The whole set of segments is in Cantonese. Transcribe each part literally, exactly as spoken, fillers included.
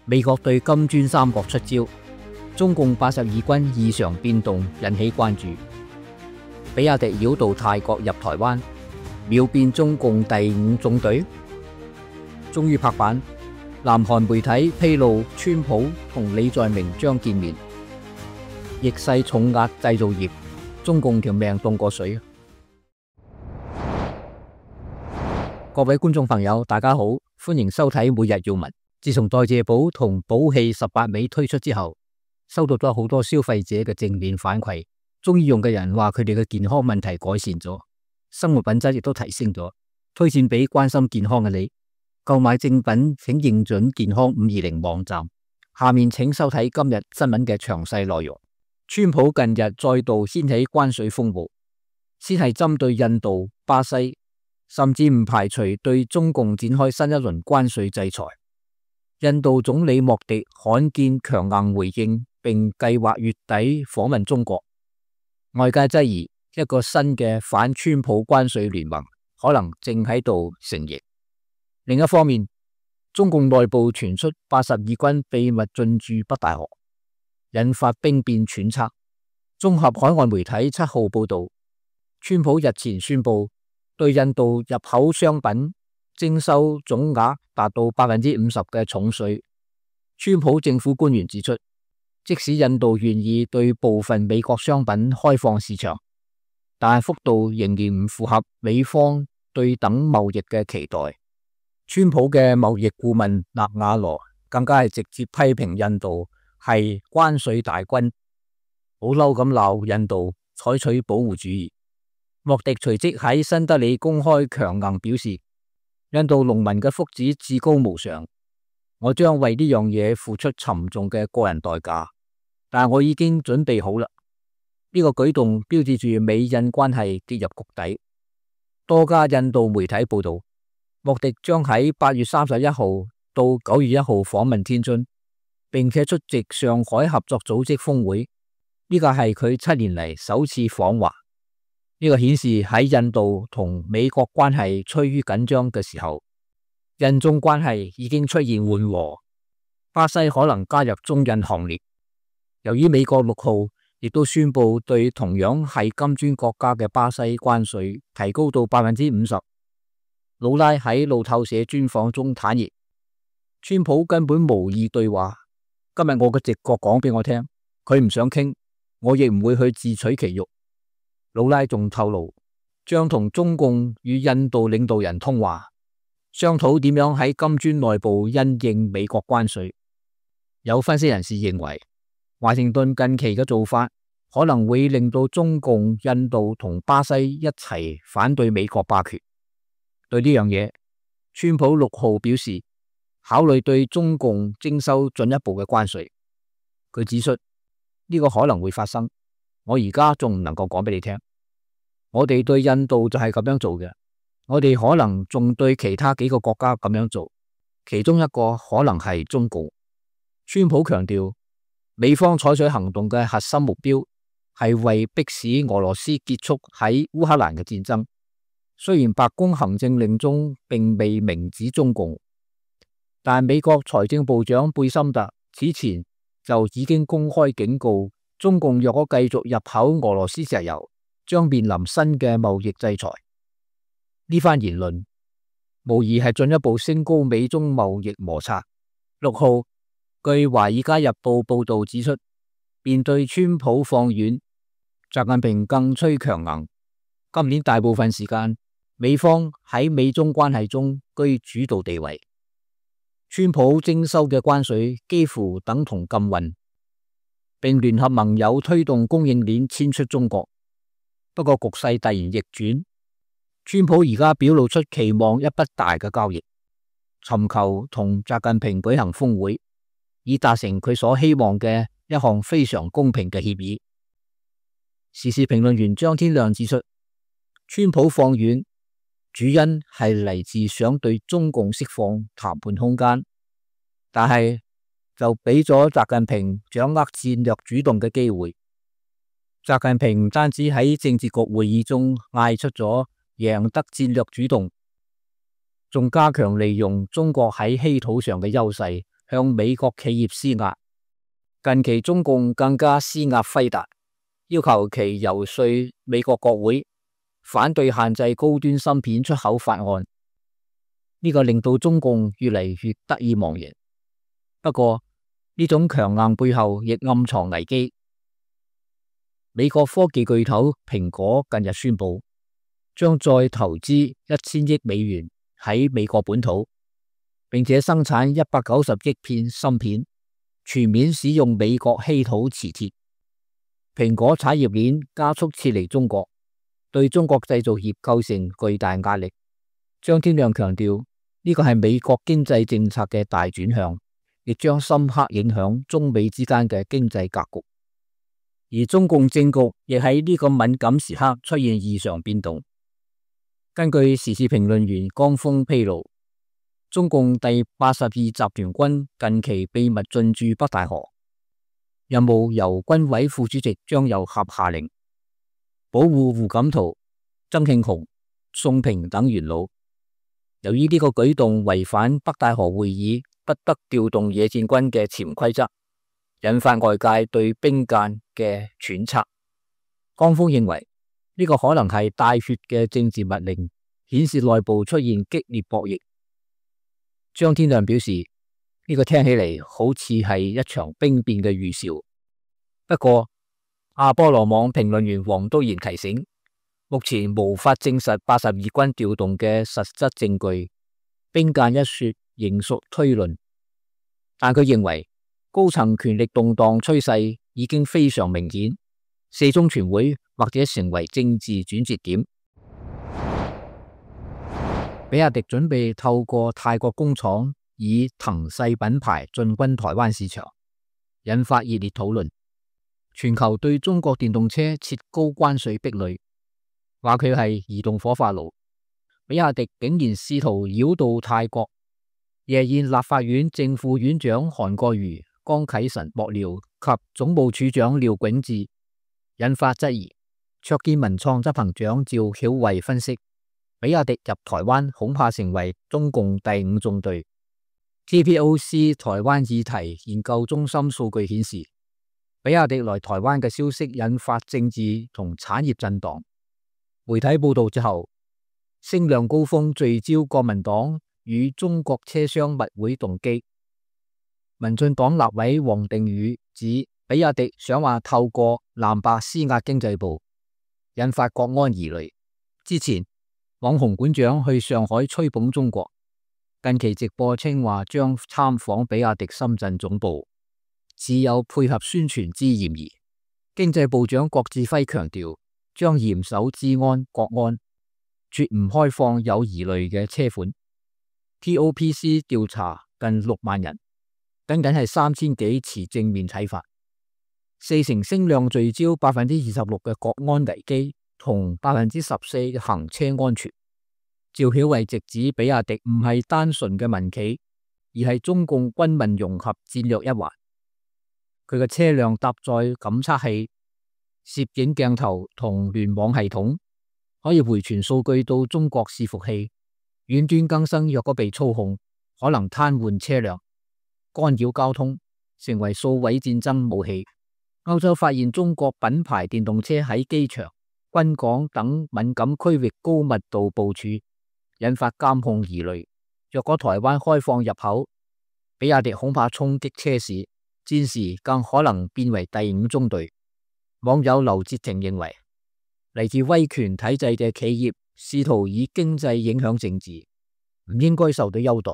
美國對金磚三國出招，中共八十二軍異常變動引起關注。比亞迪繞道泰國入台灣，秒變中共第五縱隊。終於拍板，南韓媒體披露川普同李在明將見面。逆勢重壓製造業，中共條命凍過水。各位觀眾朋友，大家好，歡迎收睇每日要聞。自從代謝寶同寶氣十八味推出之後，收到咗好多消費者嘅正面反饋，中意用嘅人話佢哋嘅健康問題改善咗，生活品質亦都提升咗，推薦俾關心健康嘅你。購買正品請認準健康五二零網站。下面請收睇今日新聞嘅詳細內容。川普近日再度掀起關稅風暴，先係針對印度、巴西，甚至唔排除對中共展開新一輪關稅制裁。印度總理莫迪罕見強硬回應，並計劃月底訪問中國。外界質疑一個新嘅反川普關稅聯盟可能正喺度成形。另一方面，中共內部傳出八十二軍秘密進駐北戴河，引發兵變揣測。綜合海外媒體七號報道，川普日前宣布對印度入口商品徵收總額達到百分之五十嘅重稅。川普政府官員指出，即使印度願意對部分美國商品開放市場，但幅度仍然唔符合美方對等貿易嘅期待。川普嘅貿易顧問納瓦羅更加係直接批評印度係關稅大軍，好嬲咁鬧印度採取保護主義。莫迪隨即喺新德里公開強硬表示，印度農民嘅福祉至高無上，我將為呢樣嘢付出沉重嘅個人代價，但我已經準備好啦。呢個舉動標誌住美印關係跌入谷底。多家印度媒體報道，莫迪將喺八月三十一號到九月一號訪問天津，並且出席上海合作組織峰會。呢個係佢七年嚟首次訪華。呢個顯示喺印度同美國關係趨於緊張嘅時候，印中關係已經出現緩和。巴西可能加入中印行列。由於美國六號亦都宣布對同樣係金磚國家嘅巴西關稅提高到百分之五十。魯拉喺路透社專訪中坦言，川普根本無意對話。今日我嘅直覺講俾我聽，佢唔想傾，我亦唔會去自取其辱。魯拉仲透露，將同中共與印度領導人通話，商討點樣喺金磚內部因應美國關稅。有分析人士認為，華盛頓近期嘅做法可能會令到中共、印度同巴西一齊反對美國霸權。對呢樣嘢，川普六號表示考慮對中共徵收進一步嘅關稅。佢指出呢個可能會發生，我而家仲唔能夠講俾你聽。我哋對印度就係咁樣做嘅，我哋可能仲對其他幾個國家咁樣做，其中一個可能係中共。川普強調，美方採取行動嘅核心目標係為迫使俄羅斯結束喺烏克蘭嘅戰爭。雖然白宮行政令中並未明指中共，但美國財政部長貝森特此前就已經公開警告，中共若果繼續入口俄羅斯石油，將面臨新嘅貿易制裁。呢番言論無疑係進一步升高美中貿易摩擦。六號，據《華爾街日報》報道指出，面對川普放軟，習近平更趨強硬。今年大部分時間，美方喺美中關係中居主導地位。川普徵收嘅關稅幾乎等同禁運，並聯合盟友推動供應鏈遷出中國。不過局勢突然逆轉，川普而家表露出期望一筆大嘅交易，尋求同習近平舉行峰會，以達成佢所希望嘅一項非常公平嘅協議。時事評論員張天亮指出，川普放軟主因係嚟自想對中共釋放談判空間，但係就俾咗習近平掌握戰略主動嘅機會。習近平唔單止喺政治局會議中嗌出咗贏得戰略主動，仲加強利用中國喺稀土上嘅優勢，向美國企業施壓。近期中共更加施壓輝達，要求其游說美國國會反對限制高端芯片出口法案。呢個令到中共越嚟越得意忘形。不過呢種強硬背後亦暗藏危機。美國科技巨頭蘋果近日宣布，將再投資一千億美元喺美國本土，並且生產一百九十億片芯片，全面使用美國稀土磁鐵。蘋果產業鏈加速撤離中國，對中國製造業構成巨大壓力。張天亮強調，呢個係美國經濟政策嘅大轉向，亦將深刻影響中美之間嘅經濟格局。而中共政局亦喺呢個敏感時刻出現異常變動。根據時事評論員江峰披露，中共第八十二集團軍近期秘密進駐北戴河，任務由軍委副主席張又俠下令，保護胡錦濤、曾慶紅、宋平等元老。由於呢個舉動違反北戴河會議不得調動野戰軍嘅潛規則，引發外界對兵諫嘅揣測。江峰認為呢個可能係帶血嘅政治密令，顯示內部出現激烈博弈。張天亮表示，呢個聽起嚟好似係一場兵變嘅預兆。不過阿波羅網評論員黃都賢提醒，目前無法證實八十二軍調動嘅實質證據，兵諫一說仍屬推論。但佢認為高層權力動盪趨勢已經非常明顯，四中全會或者成為政治轉折點。比亞迪準備透過泰國工廠以騰勢品牌進軍台灣市場，引發熱烈討論。全球對中國電動車設高關稅壁壘，話佢係移動火化爐。比亞迪竟然試圖繞道泰國。夜宴立法院正副院長韓國瑜、江啟臣幕僚及總務處長廖永智引發質疑。卓見文創執行長趙曉慧分析，比亞迪入台灣恐怕成為中共第五縱隊。T P O C 台灣議題研究中心數據顯示，比亞迪來台灣嘅消息引發政治同產業震盪。媒體報道之後，聲量高峰聚焦國民黨與中國車商密會動機。民進黨立委王定宇指，比亞迪想話透過藍白施壓經濟部，引發國安疑慮。之前網紅館長去上海吹捧中國，近期直播稱話將參訪比亞迪深圳總部，只有配合宣傳之嫌疑。經濟部長郭志輝強調，將嚴守治安國安，絕唔開放有疑慮嘅車款。T O P C 調查近六萬人，僅僅係三千幾持正面睇法。四成聲量聚焦百分之二十六嘅國安危機同百分之十四嘅行車安全。趙曉慧直指比亞迪唔係單純嘅民企，而係中共軍民融合戰略一環。佢嘅車輛搭載感測器、攝影鏡頭同聯網系統，可以回傳數據到中國伺服器。遠端更新若果被操控，可能癱瘓車輛、干擾交通，成為數位戰爭武器。歐洲發現中國品牌電動車喺機場、軍港等敏感區域高密度部署，引發監控疑慮。若果台灣開放入口，比亞迪恐怕衝擊車市，戰時更可能變為第五中隊。網友劉哲廷認為，嚟自威權體制嘅企業試圖以經濟影響政治，唔應該受到優待。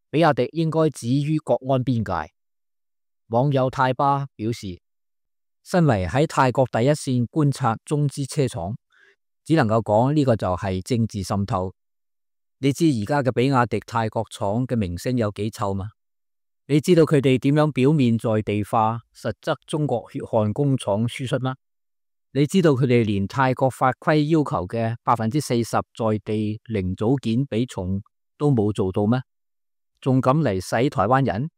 比亞迪應該止於國安邊界。網友泰巴表示，身為喺泰國第一線觀察中資車廠，只能夠講呢個就係政治滲透。你知而家嘅比亞迪泰國廠嘅名聲有幾臭嗎？你知道佢哋點樣表面在地化，實則中國血汗工廠輸出嗎？你知道佢哋連泰國法規要求嘅百分之四十在地零組件比重都冇做到咩？仲敢嚟洗台灣人？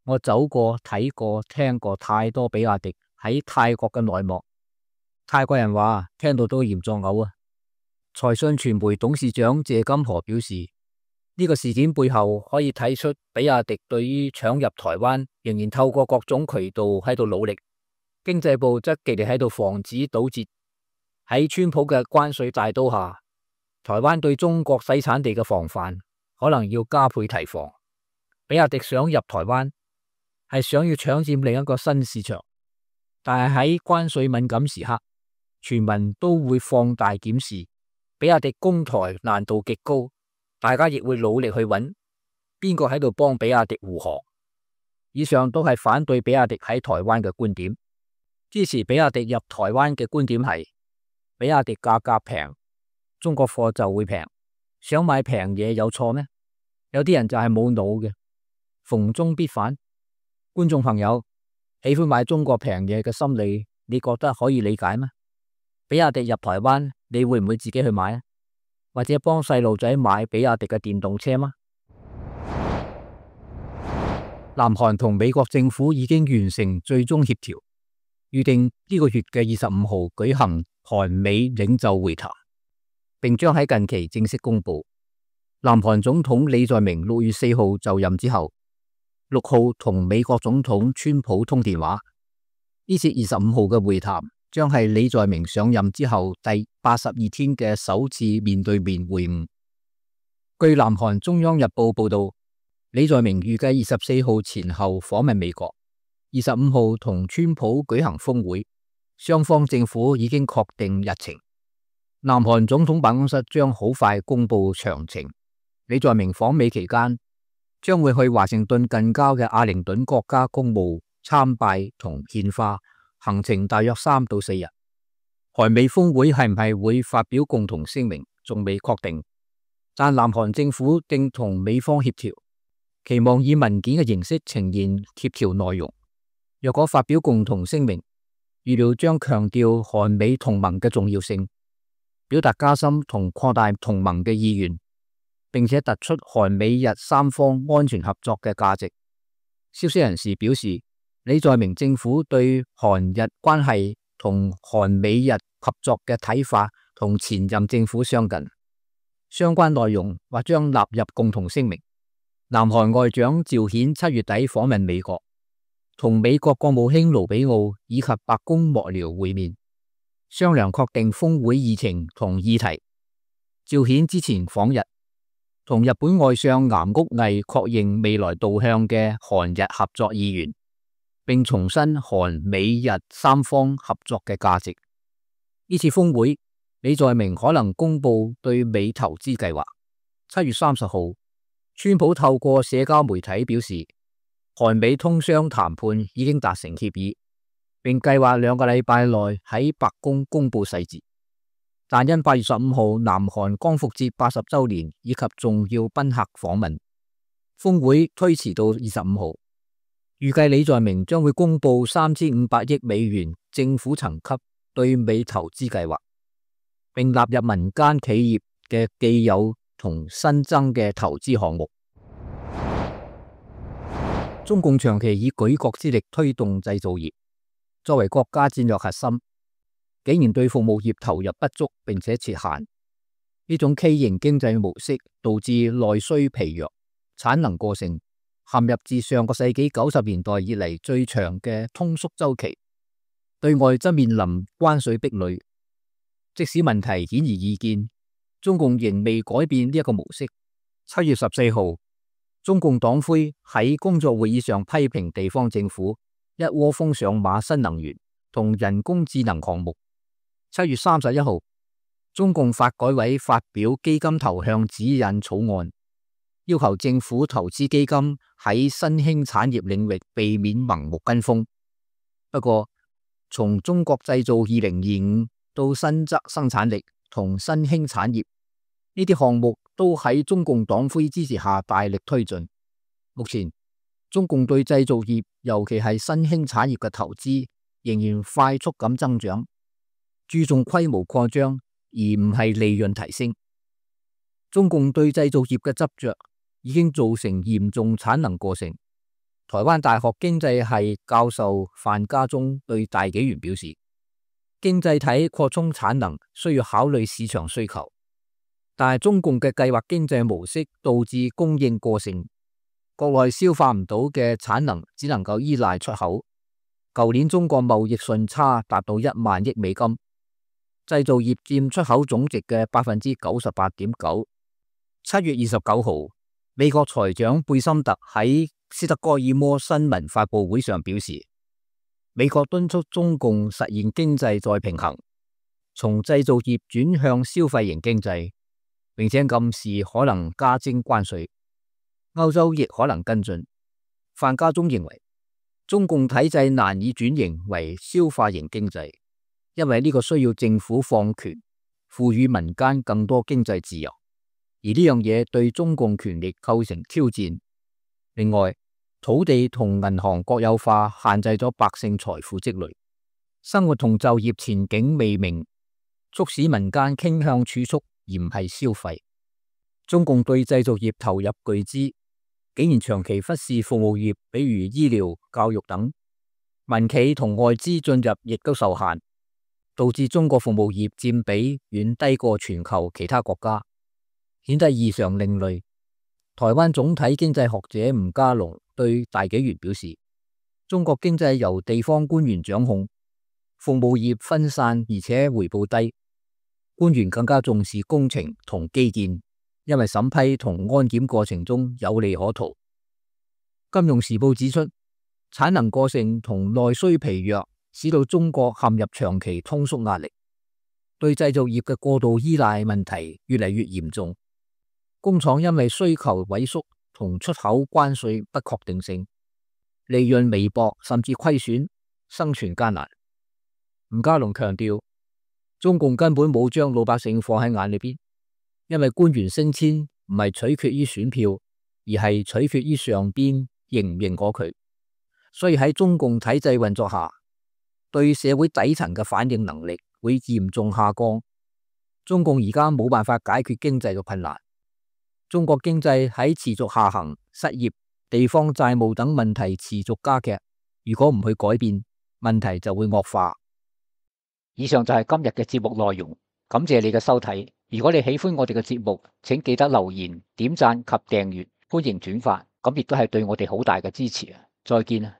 我走過睇過聽過太多比亞迪喺泰國嘅內幕，泰國人話聽到都嫌作嘔啊！財訊傳媒董事長謝金河表示，呢個事件背後可以睇出比亞迪對於搶入台灣仍然透過各種渠道喺度努力，經濟部則極力喺度防止堵截。喺川普嘅關稅大刀下，台灣對中國洗產地嘅防範可能要加倍提防。比亞迪想入台灣係想要搶佔另一個新市場，但係喺關稅敏感時刻，全民都會放大檢視，比亞迪攻台難度極高，大家亦會努力去揾邊個喺度幫比亞迪護航。以上都係反對比亞迪喺台灣嘅觀點，支持比亞迪入台灣嘅觀點係比亞迪價格平，中國貨就會平。想買平嘢有錯咩？有啲人就係冇腦嘅，逢中必反。觀眾朋友，喜歡買中國平嘢嘅心理，你覺得可以理解咩？比亞迪入台灣，你會唔會自己去買啊？或者幫細路仔買比亞迪嘅電動車嗎？南韓同美國政府已經完成最終協調，預定呢個月嘅二十五號舉行韓美領袖會談，並將喺近期正式公布。南韓總統李在明六月四號就任之後，六號同美國總統川普通電話。呢次二十五號嘅會談將係李在明上任之後第八十二天嘅首次面對面會晤。據南韓中央日報報道，李在明預計二十四號前後訪問美國，二十五號同川普舉行峰會，雙方政府已經確定日程。南韓總統辦公室將好快公布詳情。李在明訪美期間，將會去華盛頓近郊嘅阿靈頓國家公墓參拜同獻花，行程大約三到四日。韓美峰會係唔係會發表共同聲明，仲未確定，但南韓政府正同美方協調，期望以文件嘅形式呈現協調內容。若果發表共同聲明，預料將強調韓美同盟嘅重要性，表達加深同擴大同盟嘅意願，並且突出韓美日三方安全合作嘅價值。消息人士表示，李在明政府對韓日關係同韓美日合作嘅睇法同前任政府相近，相關內容或將納入共同聲明。南韓外長趙顯七月底訪問美國，同美國國務卿盧比奧以及白宮幕僚會面，商量確定峰會議程同議題。趙顯之前訪日，同日本外相岩屋毅確認未來導向嘅韓日合作意願，並重申韓美日三方合作嘅價值。呢次峰會，李在明可能公布對美投資計劃。七月三十號，川普透過社交媒體表示，韓美通商談判已經達成協議，並計劃兩個禮拜內喺白宮公布細節。但因八月十五號南韓光復節八十周年以及重要賓客訪問，峰會推遲到二十五號。預計李在明將會公布三千五百億美元政府層級對美投資計劃，並納入民間企業嘅既有同新增嘅投資項目。中共長期以舉國之力推動製造業，作為國家戰略核心，竟然對服務業投入不足並且設限，呢種畸形經濟模式導致內需疲弱、產能過剩，陷入自上個世紀九十年代以嚟最長嘅通縮周期。對外則面臨關稅壁壘。即使問題顯而易見，中共仍未改變呢一個模式。七月十四號，中共黨魁喺工作會議上批評地方政府一窩蜂上馬新能源同人工智能項目。七月三十一號，中共發改委發表基金投向指引草案，要求政府投資基金喺新興產業領域避免盲目跟風。不過，從中國製造二零二五到新增生產力同新興產業，呢啲項目都喺中共黨魁支持下大力推進。目前，中共對製造業，尤其係新興產業嘅投資仍然快速咁增長，注重規模擴張而唔係利潤提升。中共對製造業嘅執着已經造成嚴重產能過剩。台灣大學經濟系教授范家忠對大紀元表示，經濟體擴充產能需要考慮市場需求，但係中共嘅計劃經濟模式導致供應過剩，國內消化唔到嘅產能只能夠依賴出口。舊年中國貿易順差達到一萬億美金，製造業佔出口總值嘅百分之九十八點九。七月二十九號，美國財長貝森特喺斯德哥爾摩新聞發佈會上表示，美國敦促中共實現經濟再平衡，從製造業轉向消費型經濟，並且暗示可能加徵關稅。歐洲亦可能跟進。范家忠認為，中共體制難以轉型為消化型經濟，因為呢個需要政府放權，賦予民間更多經濟自由，而呢樣嘢對中共權力構成挑戰。另外，土地同銀行國有化限制咗百姓財富積累，生活同就業前景未明，促使民間傾向儲蓄而唔係消費。中共對製造業投入巨資，竟然長期忽視服務業，比如醫療、教育等，民企同外資進入亦都受限，導致中國服務業佔比遠低過全球其他國家，顯得異常另類。台灣總體經濟學者吳家龍對大紀元表示，中國經濟由地方官員掌控，服務業分散而且回報低，官員更加重視工程同基建，因為審批同安檢過程中有利可圖。金融時報指出，產能過剩同內需疲弱，使到中國陷入長期通縮壓力，對製造業嘅過度依賴問題越嚟越嚴重。工廠因為需求萎縮同出口關稅不確定性，利潤微薄甚至虧損，生存艱難。吳家龍強調，中共根本冇將老百姓放喺眼裏邊，因為官員升遷唔係取決於選票，而係取決於上邊認唔認可佢。所以喺中共體制運作下，對社會底層嘅反應能力會嚴重下降。中共而家冇辦法解決經濟嘅困難。中國經濟喺持續下行、失業、地方債務等問題持續加劇，如果唔去改變，問題就會惡化。以上就係今日嘅節目內容，感謝你嘅收睇。如果你喜歡我哋嘅節目，請記得留言、點讚及訂閱，歡迎轉發，咁亦都係對我哋好大嘅支持啊！再見啊！